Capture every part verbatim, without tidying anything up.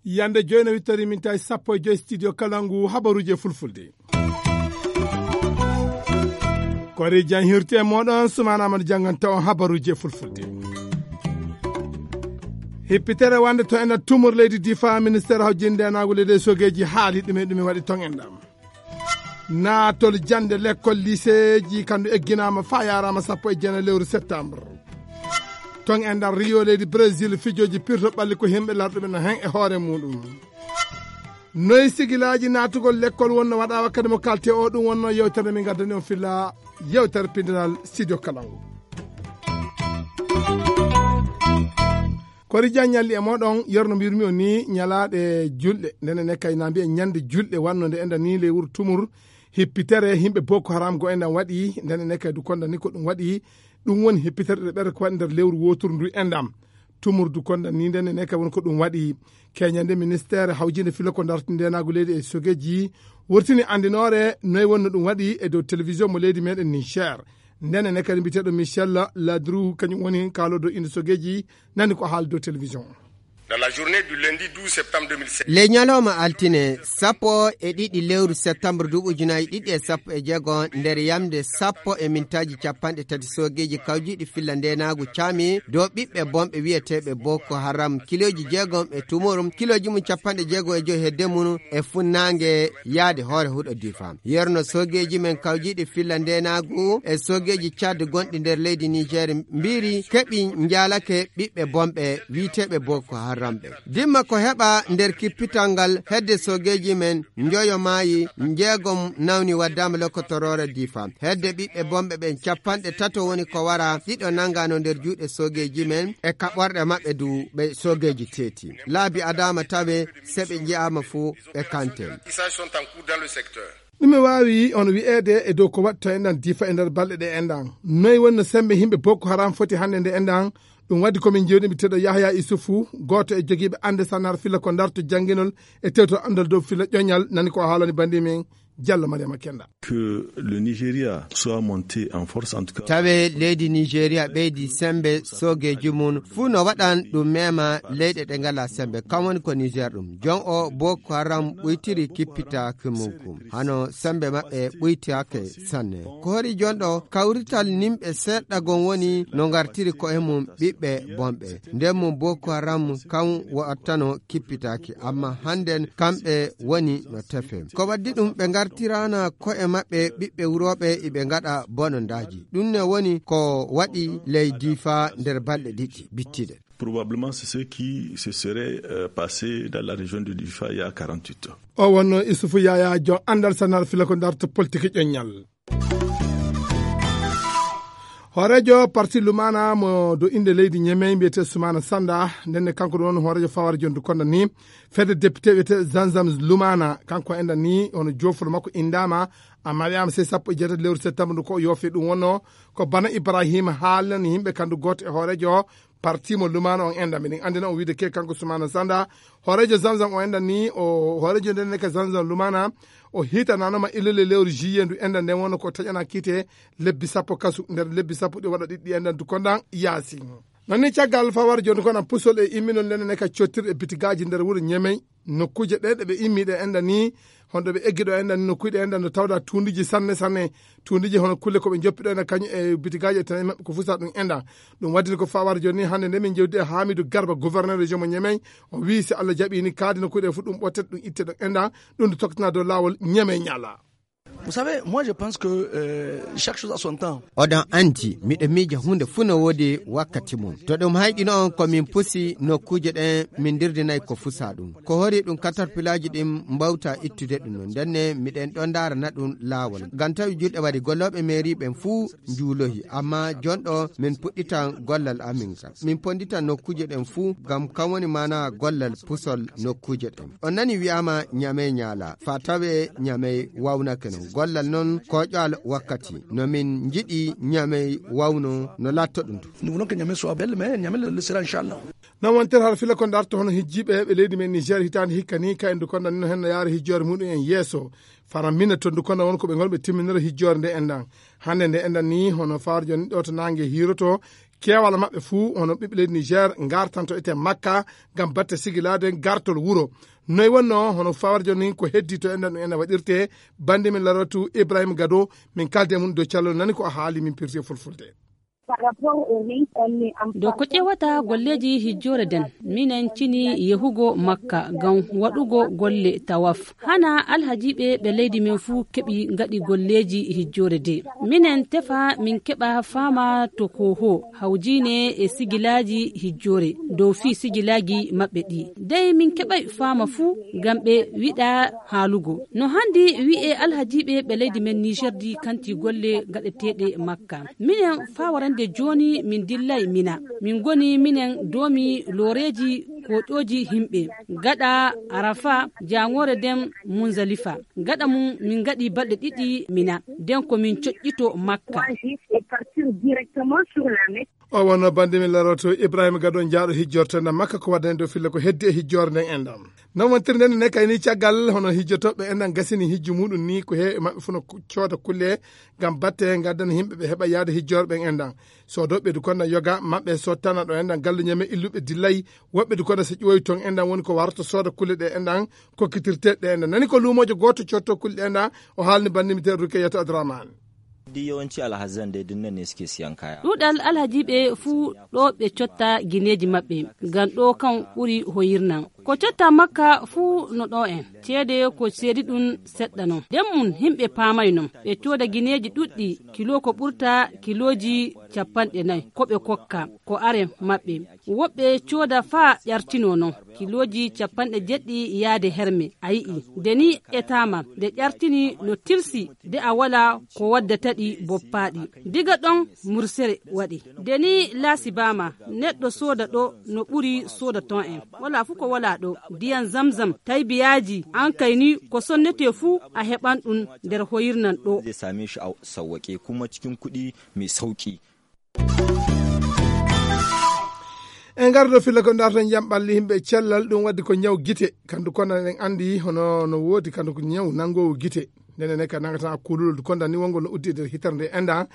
Yande joyno wittori min tawi sappo e joy studio Kalangu habaruji e fulfulde. Kori jan hirte moɗon sumana amadou janganta on habaruji e fulfulde. Hippitere wande to ena tumor leydi difa ministére hawjinde naago leydi e sogeji haali ɗume ɗume waɗi ton endam. Naatol jannde lekkol liseeji kandu egginama fa yarama sappo e jeenayi lewru septembre. Ton e nder Rio leydi Brésil fijoji pirto ɓalli ko himɓe larɗuɓe no hen e hoore muɗum. Noy sigilaji naatugol lekkol wonno waɗa wakkati mo kalte o ɗum wonno yewtere min gaddani on filla yewtere pindinal studio kalangu. Kori jan ñalli e moɗon yerno mbirmi o ni ñalaɗe julɗe ndene ne kay na mbiya ñande julɗe wanno nde enda ni ley wuro tumur hippitere himɓe boko haram go endan waɗi ndene ne kay du konda ni ko ɗum waɗi. Ɗum woni hippitere ɗe ɓere ko waɗi nder lewru woturu ndu endam tumur du konda ni ndene ne kay woni ko ɗum waɗi. Keñande ministére hawjinde filo ko darti ndenagu leydi e sogeji wurtini andinore noy wonno ɗum waɗi e dow télévision mo leydi meɗen niger. Ndene ne kadi mbiteɗo michel ladrou kañum woni kalodo inde sogeji nani ko haali dow télévision. Dans la journée du lundi douze septembre deux mille seize. Le ñalawma altine sappo e ɗiɗi lewru septembre duuɓi ujunaji ɗiɗi e sappo e jeego nder yamde sappo e mintaji capanɗe tati sogeji kawjiɗi filla ndenagu cami dow ɓiɓɓe bonɓe wiyeteɓe boko haram kiloji jeegom e tumurum kiloji mum capanɗe jeego e joyi hedde mum e funnangue yaade hoore huɗo difa. Yerno sogeji men kawjiɗi filla ndenagu e sogeji Tchad gonɗi nder leydi Niger mbiri keɓi njalake ɓiɓɓe bonɓe wiiteɓe Boko Haram ɓe. Dimma ko heɓa nder kippital ngal hedde sogeji men njoyo maayi njeegom nawni waddama lokkotorore difa. Hedde ɓiɓɓe bonɓe ɓen capanɗe tato woni ko wara ɗiɗo nangano nder juuɗe sogeji men e kaɓorɗe maɓɓe du ɓe sogeji teeti. Laabi adama tawe se ɓe nji'ama fuu ɓe kante. Ɗume waawi on wi'eede e dow ko waɗto enɗan difa e nder balɗe ɗe enɗan? Noy wonno sembe yimɓe Boko Haram foti hannde nde enɗan? Ɗum waɗi ko min jewni mi teɗo Yahya Isufu, gooto e jogiiɓe annde sanar fila ko ndarto jannginol e tewto anndal dow fila ƴoñal, nani ko haalani banndi men Jallo Mariama Kenda. Que le Nigeria soit monté en force, en tout cas. Tawe leydi Nigeria ɓeydi sembe soogeeji mum fuu no waɗan ɗum mema leyɗe ɗe ngala sembe kam woni ko Niger ɗum jon o Boko Haram ɓuytiri kippitaaki mum kum hano sembe maɓɓe ɓuytaake sanne. Ko hori jon ɗo kawrital nimɓe seeɗa gon woni no ngartiri ko e mum ɓiɓɓe bonɓe nden mum Boko Haram kam wattano kippitaaki amma hannden kamɓe woni no tefe. Ko waddi ɗum ɓe ngartirana ko'e maɓɓe ɓiɓɓe wurooɓe iɓe ngaɗa bonondaaji. Ɗum ne woni ko waɗi ley Difa nder balɗe ɗiɗi bittiɗe. Probablement c'est ce qui se serait euh, passé dans la région de Difa il y a quarante-huit ans. O wonno Isufu Yaya jon andal sanar fila ko darta politique ƴoññal. Hooreejo parti Lumana mo do inde leydi Ñemey mbiyete Sumana Sanda ndenne kanko ɗum woni hooreejo fawar jondu konda ni fedde député wiyete Zanzam Lumana kanko enɗan ni hono joofol makko indama amma wiyama sey sappo e jeetati lewru septembre ndu ko o yoofi ɗum wonno ko bana Ibrahima haalnani yimɓe kandu gooto e hooreejo parti mo Lumana on enɗan miɗen andina on wiide ke kanko Sumana Sanda hooreejo Zanzam o enɗan ni o hooreejo nden ne ka Zanzam Lumana o hitananoma illole lewru juillet ndu enɗan nden wonno ko taƴana kiite lebbi sappo kasu nder lebbi sappo ɗi waɗa ɗiɗɗi enɗan du kondan yaasi. Non ni caggal fawar joni kono pusol e imminol nden ne ka cottirɗe bitigaaji nder wuro Ñemey nokkuuje ɗe ɗe ɓe immi ɗe enɗan ni honɗo ɓe eggi ɗo enɗan ni nokkuuje ɗe enɗan no tawda tundiji sanne sanne tundiji hono kulle ko ɓe joppi ɗo enɗan kañum e bitigaaji e tanaji maɓɓe ko fusa ɗum enɗan. Ɗum waddini ko fawar joni hannde nde min jewdi e Hamidou Garba gouverneur région mo Ñemey o wi si Allah jaɓi ni kaadi nokkuuje ɗe fof ɗum ɓottete ɗum itte ɗo enɗan ɗum nde toktana dow lawol Ñemey ñala. Vous savez, moi je pense que euh, chaque chose a son temps. Oɗon anndi miɗo miija huunde fuu no woodi wakkati mum. To ɗum hayɗino on ko min pusi nokkuuje ɗen min ndirdinay ko fusa ɗum. Ko hori ɗum katarpilaaji ɗin mbawta ittude ɗum non. Ndenne miɗen ɗon ndaarana ɗum laawol. Ngam tawi julɗe waɗi gollooɓe meeri ɓen fuu njuulohi. Amma jonɗo min puɗɗitan gollal amin ngal. Min pondita nokkuuje ɗen fuu ngam kam woni maana gollal pusol nokkuuje ɗen. On nani wi'aama Ñamey ñaala. Fa tawe Ñamey wawnake non. Gollal noon ko ƴaalo wakkati. No min njiɗi Ñamey wawno no laatto ɗum du. Nous voulons que Niamey soit belle, mais Niamey le sera, inchallah. Noon wontere hara fila ko darto hono hijjiiɓe ɓe leydi men Niger hitaande hikka ni, ka endu konda ni no hen no yaara hijjoore muɗum en yeeso. Fara mina to ndu konda won ko ɓe ngol ɓe timminira hijjoore nde endan. Hannde nde endan ni hono faarjo ni ɗo to naange hiiroto, keewal maɓɓe fuu hono ɓiɓɓe leydi Niger ngartanto ete Makka ngam batte sigilaade gartol wuro. Noy wonno hono faarjo ni ko heddi to endan ɗum ena waɗirte, bandi min Laratu Ibrahim Gado, min kalde mum dow callol nani ko a haali min pirti e fulfulde. Par rapport au rate, on est en Do ko ƴeewata golleeji hijjoore den, minen cini yehugo Makka ngam waɗugo golle tawaf. Hana alhajiiɓe ɓe leydi men fuu keɓi ngaɗi golleeji hijjoore de. Minen tefa min keɓa faama to ko ho hawjiine e sigilaaji hijjoore dow fii sigilaaji maɓɓe ɗi. Dey min keɓay faama fuu ngam ɓe wiɗa haalugo. No handi wi'e alhajiiɓe ɓe leydi men Niger di kanti golle gaɗeteeɗe Makka. Minen faa warande jooni min dillay Mina. Min ngoni minen doomi looreeji koƴooji himɓe. Gaɗa Arafa, jaangoore den Munzalifa. Gaɗa mum min ngaɗi balɗe ɗiɗi Mina. Den ko min coƴƴito Makka. O wonno bandi min laroto Ibrahima Gado jaaɗo hijjorto na Makka ko waddani dow fille ko heddi e hijjorde nden enɗam. Non wontirde nde ne kayni caggal hono hijjotooɓe enɗam gasini hijju muɗum ni ko heewi maɓɓe fof no ku-, cooda kulle ngam batte ngaddana yimɓe ɓe heɓa yaade hijjorɓe enɗam. Soodooɓe du konda yoga maɓɓe sottana ɗo enɗam galluñe men illuɓe dillay woɓɓe du konda so ƴooyi toon enɗam woni ko warto sooda kulle ɗe enɗam kokkitirte ɗe enɗam. Nani ko luumoojo gooto cotto kulle ɗe enɗam o haalni bandi mi teeru Rukayatu Abdurrahman. Di yawanci alhazan dai duk nan ne suke siyan kaya. Ɗuuɗal alhajiiɓe fuu ɗo ɓe cotta gineeji maɓɓe, ngam ɗo kan ɓuri hoyirnan. Ko cotta Makka fuu no ɗo en, ceede ko seedi ɗum seɗɗa non. Den mum himɓe paamay non, ɓe cooda gineeji ɗuɗɗi, kilo ko ɓurta kilooji capanɗe nay, ko ɓe kokka, ko are maɓɓe. Woɓɓe cooda faa ƴartinoo non, kilooji capanɗe jeɗɗi yaade herme. A yi'i, nde ni etaama, nde ƴartini no tilsi, de a walaa ko waddata ɗi boppaaɗi. Diga ɗon mursere waɗi. Nde ni laasibaama, neɗɗo sooda ɗo no ɓuri sooda ton en. Walaa fu ko walaa ɗo. Ndiyam Zamzam, taybiyaaji, an kay ni ko sonnetee fu a heɓan ɗum nder hoyirnan ɗo. Zai same shi a sauwaƙe kuma cikin kuɗi mai sauƙi. En ngardo filla ko darto jam ɓalli yimɓe cellal ɗum waddi ko ñaw gite. Kandu konda en andi hono no woodi kandu ko ñaw nangowo gite. Ndene ne ka nangata kulul konda ni wongo no uddi e nder hitere nde enda.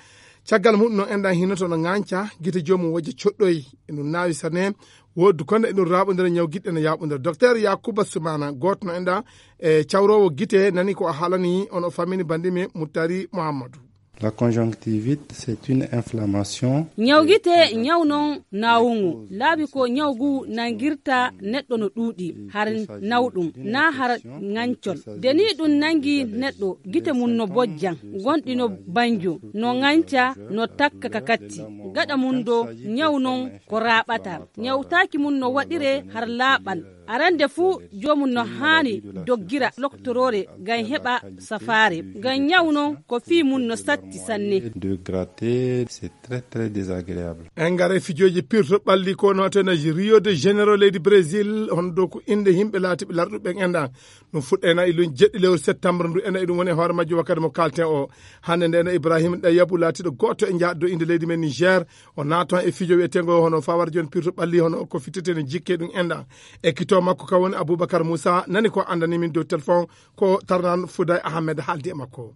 Caggal muɗum no enda hinoto no ŋanca gite joomum wojja coɗɗoy. E ɗum naawi sane woodi konda e ɗum raɓodira ñaw giɗɗe no yaɓodira. Docteur Yakuba Sumana gooto no enda e cawrowo gite nani ko a haalani on o fammini bandimi Muttari Muhammadu. La conjonctivite, c'est une inflammation. Ñaw gite, ñaw non naawungu. Laabi ko ñaw gu nangirta neɗɗo no ɗuuɗi, har nawɗum, na har ŋancol. De ni ɗum nangi neɗɗo, gite mum no bojjan, gonɗi no banjo, no ŋanca, no takka ka katti. Gaɗa mum do, ñaw non ko raaɓata. Ñawtaaki mum no waɗire har laaɓal. Arande fuu, joomum no haani doggira loktoroore ngam heɓa safaare. Ngam ñaw non ko fii mum no satti sanne. De gratter, c'est très, très désagréable. En ngara e fijooji pirto ɓalli ko no tena Rio de Janeiro leydi Brésil, hono dow ko innde yimɓe laatiɓe larɗuɓe enɗan. Ɗum fuɗɗa ena e lun jeɗɗi lewru septembre ndu ena e ɗum woni e hoore majjo wakkati mo kalten o. Hannde nde ena Ibrahima Ɗayabu laatiɗo gooto e jaɗɗo innde leydi men Niger, o naaton e fijo wi'eteengo hono fawar jooni pirto ɓalli hono ko fittetee no jikke ɗum enɗan. Ekkito makko ka woni Aboubacar Moussa, nani ko anndani min dow téléphone ko Tarnan Fouday Ahmed haaldi e makko.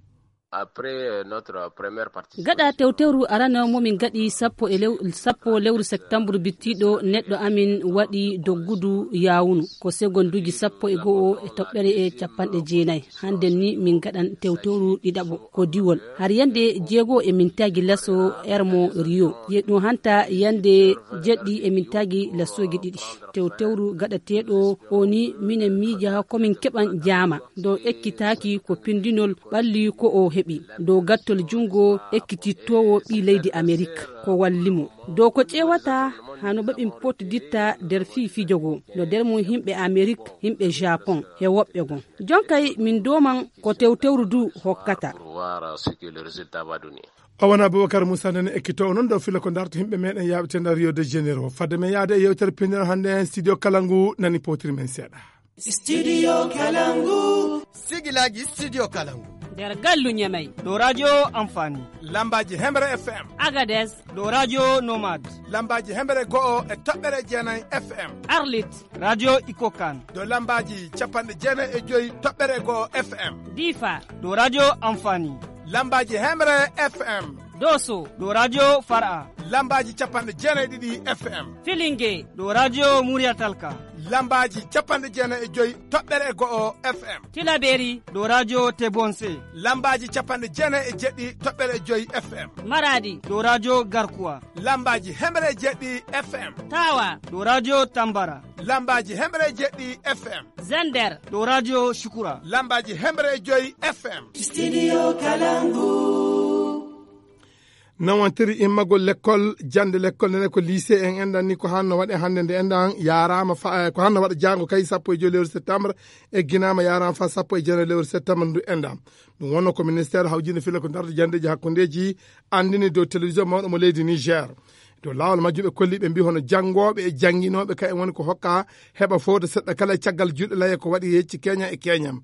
Après, euh, notre première partie. Gaɗa tewtewru arano mo min gaɗi sappo e lew-, sappo lewru septembre bittiɗo neɗɗo amin waɗi doggudu yawunu. Ko segonduji sappo e go'o e toɓɓere e capanɗe jeenayi. Hande ni min gaɗan tewtewru ɗiɗaɓo ko diwol. Har yande jeego e mintaaji laso Ermo Rio. Ye ɗum hanta yande jeɗɗi e mintaaji lasoji ɗiɗi. Tewtewru gaɗateeɗo o ni minen miija ko min keɓan jaama. Ɗo ekkitaaki ko pindinol ɓalli ko o heɓi. Ɗo gattol jungo ekkitittoowo ɓii leydi Amerik ko walli mo. Ɗo ko ƴeewata hano ɓe ɓin pottiditta nder fii fijo go. No nder mum himɓe Amerik, himɓe Japon, he woɓɓe gon. Jonkay min dooman ko tewtewru du hokkata. Pour voir, euh, ce que le résultat va donner. O wona Aboubacar Moussa nene ekkito o noon ɗo fila ko darto himɓe meɗen yaaɓete nder Rio de Janeiro. Fadde men yaade e yewtere pinal hannde en studio kala ngu nani potiri men seeɗa. Studio Kalangu. Sigilaji Studio Kalangu. Nder gallu Ñemey. Ɗo radio Amfani. Lambaaji Hemre F M. Agades. Ɗo radio Nomad. Lambaaji Hemre go'o e toɓɓere jeenay F M. Arlit. Radio Ikokan. Ɗo lambaaji capanɗe jeenay e joy toɓɓere go'o F M. Difa. Ɗo radio Amfani. Lambaaji Hemre F M. Doso. Ɗo radio Far'a. Lambaaji capanɗe jeenay ɗiɗi F M. Filinge. Ɗo radio Muriyatalka. Lambaaji capanɗe jeenay e joy toɓɓere go'o F M. Tilaberi. Ɗo radio Tebonse. Lambaaji capanɗe jeenay e jeɗɗi toɓɓere joy F M. Maradi. Ɗo radio Garkuwa. Lambaaji hemre e jeɗɗi F M. Tawa. Ɗo radio Tambara. Lambaaji hemre e jeɗɗi F M. Zender. Ɗo radio Shukura. Lambaaji hemre e joy F M. Studio Kalangu. Nawantiri immagol lekkol, jannde lekkol, nene ko lycée en enɗan ni, ko hanno waɗe hannde nde enɗan yaraama fa, ko hanno waɗa jaango kay sappo e joy lewru septembre, egginaama yaraama fa sappo e jeenay lewru septembre ndu enɗan. Ɗum wonno ko ministère hawjinde filla ko darto janndeeji hakkundeeji anndini dow télévision mawɗo mo leydi Niger. Dow laawol majjum ɓe kolli ɓe mbi hono janngooɓe e jannginooɓe kay en woni ko hokka heɓa fowde seɗɗa kala e caggal juuɗe laye ko waɗi yecci keña e keñam.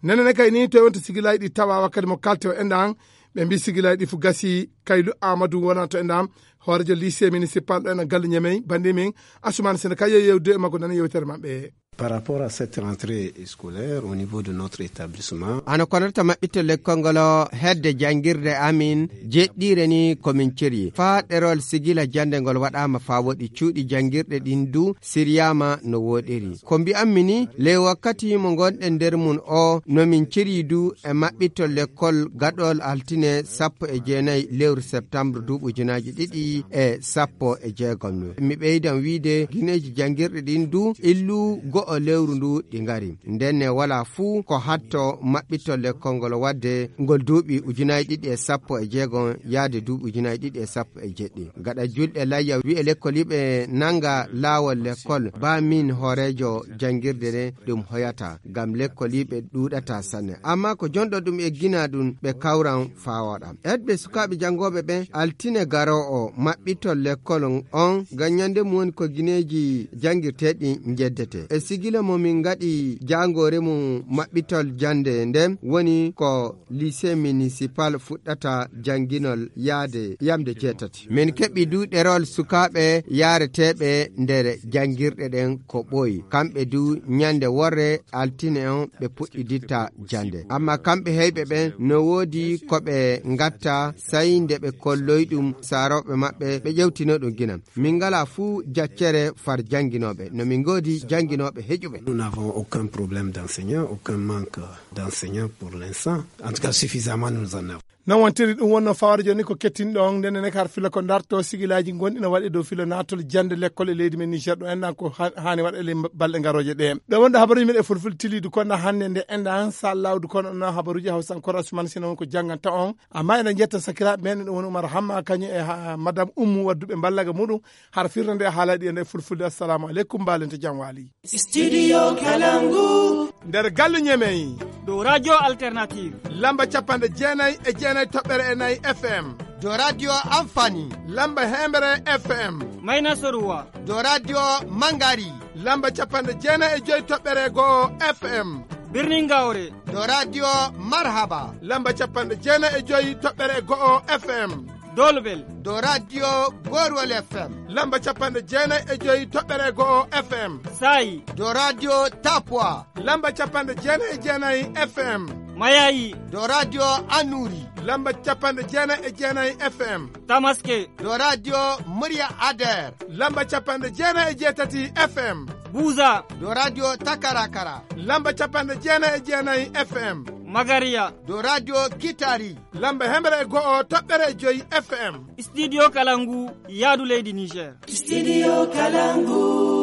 Nene ne kay ni to e wonto sigilaaji ɗi tawa wakkati mo kalte o enɗan, ɓe mbi sigilaaji ɗi fu gasi. Kaylu Amadou wona to enɗan, hoorejo lycée municipal ɗo enɗan galle Ñemey, bandi min Assoumane Sene kay yeewde e makko nana yewtere maɓɓe. Par rapport à cette rentrée scolaire au niveau de notre établissement. Hano konata maɓɓitto lekkol ngol o hedde janngirde amin jeɗɗiire ni komin ceri. Faa ɗerol sigila jannde ngol waɗaama faa woɗi cuuɗi janngirɗe ɗin du siryaama no wooɗiri. Ko mbi'ammi ni, ley wakkati mo ngonɗen nder mun o, no min ceri du e maɓɓitto lekkol gaɗol altine sappo e jeenay lewru septembre duuɓi ujunaaji ɗiɗi e sappo e jeegom. Mi ɓeydan wiide gineeji janngirɗi ɗin du illu go'o lewru ndu ɗi ngari. Ndenne walaa fuu ko hatto maɓɓitto lekkol ngol waɗde ngol duuɓi ujunaaji ɗiɗi e sappo e jeegom yaade duuɓi ujunaaji ɗiɗi e sappo e jeɗɗi. Gaɗa julɗe layya wi'e lekkoliiɓe nannga laawol lekkol, ba min hooreejo janngirde nde ɗum hoyata, ngam lekkoliiɓe ɗuuɗata sanne. Ammaa ko jonɗo ɗum eggina ɗum ɓe kawran faa waɗa. Edɓe sukaaɓe janngooɓe ɓen, altine garoowo maɓɓitol lekkol on, ngam ñannde mum woni ko gineeji janngirteeɗi njeddete. E sigila mo min ngaɗi jaangoore mum maɓɓitol jannde nden woni ko lycée municipal fuɗɗata jannginol yaade yamde jeetati. Min keɓi du ɗerol sukaaɓe yaareteeɓe nder janngirɗe ɗen ko ɓooyi. Kamɓe du ñannde worre altine on ɓe puɗɗiditta jannde. Ammaa kamɓe heyɓe ɓen no woodi ko ɓe ngatta, sey nde ɓe kolloyi ɗum saarooɓe maɓɓe, ɓe ƴewtino ɗum gina. Min ngalaa fuu jaccere far jannginooɓe. No min ngoodi jannginooɓe heƴuɓe. Nous n'avons aucun problème d'enseignant, aucun manque d'enseignant pour l'instant. En tout cas, suffisamment nous en avons. Non wontiri ɗum wonno fawre jooni ko kettinɗo on, nden ne kar fila ko darto sigilaaji gonɗi no waɗi dow filo naatol jannde lekkol e leydi men Niger ɗo enɗan ko ha-, haani waɗa e ley balɗe garooje ɗe. Ɗo wonɗo habaruji meɗen fulfulde tiliidu kono hannde nde enɗan sa lawdu kono no habaruji hawsankora Ousmane Sina won ko jannganta on. Amma eɗen jetta sakiraaɓe men ɗo woni Oumar Hamma kañum e ha-, Madame Oumou wadduɓe mballaga muɗum har firnde nde haalaɗi e nder fulfulde. Assalamu aleykum, mbaalente jam waali. Studio Kalangu. Nder galle Ñemey. Dow Radio Alternative. Lamba capanɗe jeenay e jeenay toɓɓere e nayi F M. Dow Radio Amfani. Lamba hemre F M. Mayna Soruwa. Dow Radio Mangari. Lamba capanɗe jeenay e joy toɓɓere go'o F M. Birnin Gawre. Dow Radio Marhaba. Lamba capanɗe jeenay e joy toɓɓere go'o F M. Dolbel. Dow Radio Gorwol F M. Lamba capanɗe jeenay e joy toɓɓere go'o F M. Saayi. Dow Radio Tapwa. Lamba capanɗe jeenay e jeenay F M. Mayayi. Dow Radio Anuri. Lamba capanɗe jeenay e jeenay F M. Tamaske. Dow Radio Murya Ader. Lamba capanɗe jeenay e jeetati F M. Buza. Dow Radio Takarakara. Lamba capanɗe jeenay e jeenay F M. Magariya. Dow Radio Kitari. Lamba hemre e go'o toɓɓere e joy F M. Studio Kalangu, yaadu leydi Niger. Studio Kalangu.